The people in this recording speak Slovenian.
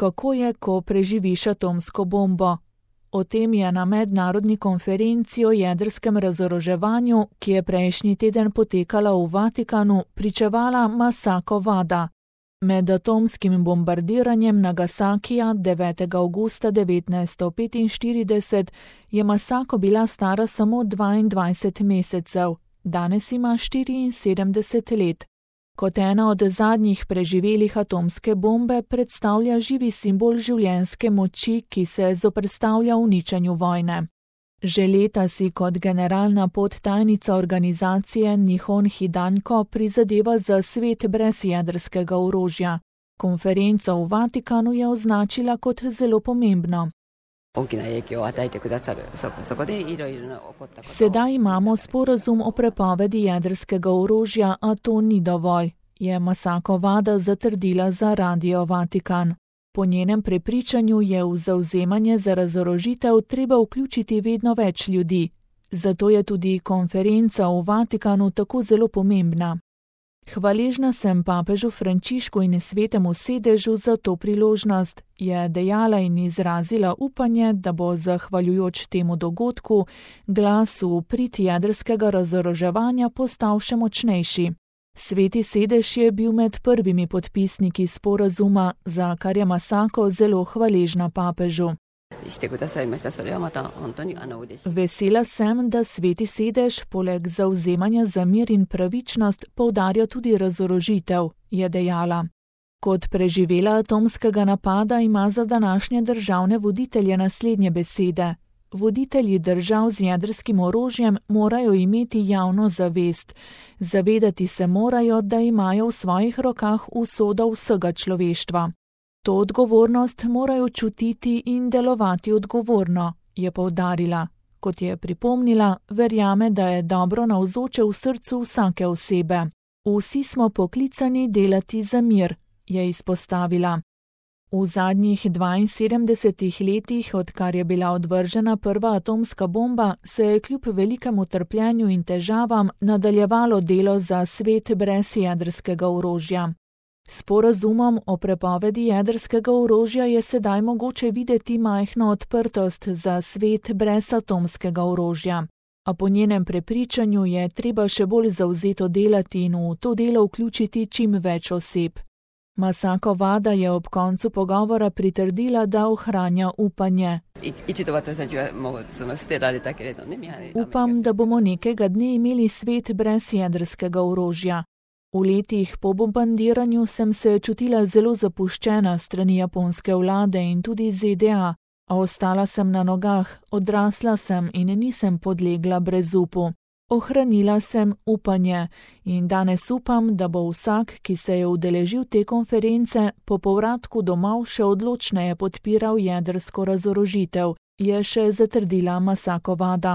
kako je, ko preživiš atomsko bombo. O tem je na mednarodni konferenci o jedrskem razoroževanju, ki je prejšnji teden potekala v Vatikanu, pričevala Masako Wada. Med atomskim bombardiranjem Nagasakija 9. avgusta 1945 je Masako bila stara samo 22 mesecev, danes ima 74 let. Kot ena od zadnjih preživelih atomske bombe predstavlja živi simbol življenjske moči, ki se zoperstavlja uničenju vojne. Že leta si kot generalna podtajnica organizacije Nihon Hidanko prizadeva za svet brez jedrskega orožja. Konferenco v Vatikanu je označila kot zelo pomembno. Sedaj imamo sporazum o prepovedi jedrskega orožja, a to ni dovolj, je Masako Wada zatrdila za Radio Vatikan. Po njenem prepričanju je v zavzemanje za razorožitev treba vključiti vedno več ljudi. Zato je tudi konferenca v Vatikanu tako zelo pomembna. Hvaležna sem papežu Frančišku in svetemu sedežu za to priložnost, je dejala in izrazila upanje, da bo zahvaljujoč temu dogodku glas v prid jedrskega razoroževanja postal še močnejši. Sveti sedež je bil med prvimi podpisniki sporazuma, za kar je Masako zelo hvaležna papežu. Vesela sem, da sveti sedež poleg zavzemanja za mir in pravičnost poudarja tudi razorožitev, je dejala. Kot preživela atomskega napada ima za današnje državne voditelje naslednje besede. Voditelji držav z jedrskim orožjem morajo imeti javno zavest. Zavedati se morajo, da imajo v svojih rokah usodo vsega človeštva. To odgovornost morajo čutiti in delovati odgovorno, je poudarila. Kot je pripomnila, verjame, da je dobro navzoče v srcu vsake osebe. Vsi smo poklicani delati za mir, je izpostavila. V zadnjih 72 letih, odkar je bila odvržena prva atomska bomba, se je kljub velikemu trpljenju in težavam nadaljevalo delo za svet brez jedrskega orožja. S sporazumom o prepovedi jedrskega orožja je sedaj mogoče videti majhno odprtost za svet brez atomskega orožja. A po njenem prepričanju je treba še bolj zavzeto delati in v to delo vključiti čim več oseb. Masako Wada je ob koncu pogovora pritrdila, da ohranja upanje. Upam, da bomo nekega dne imeli svet brez jedrskega orožja. V letih po bombardiranju sem se čutila zelo zapuščena strani japonske vlade in tudi ZDA, a ostala sem na nogah, odrasla sem in nisem podlegla brezupu. Ohranila sem upanje in danes upam, da bo vsak, ki se je udeležil te konference, po povratku domov še odločneje podpiral jedrsko razorožitev, je še zatrdila Masako Wada.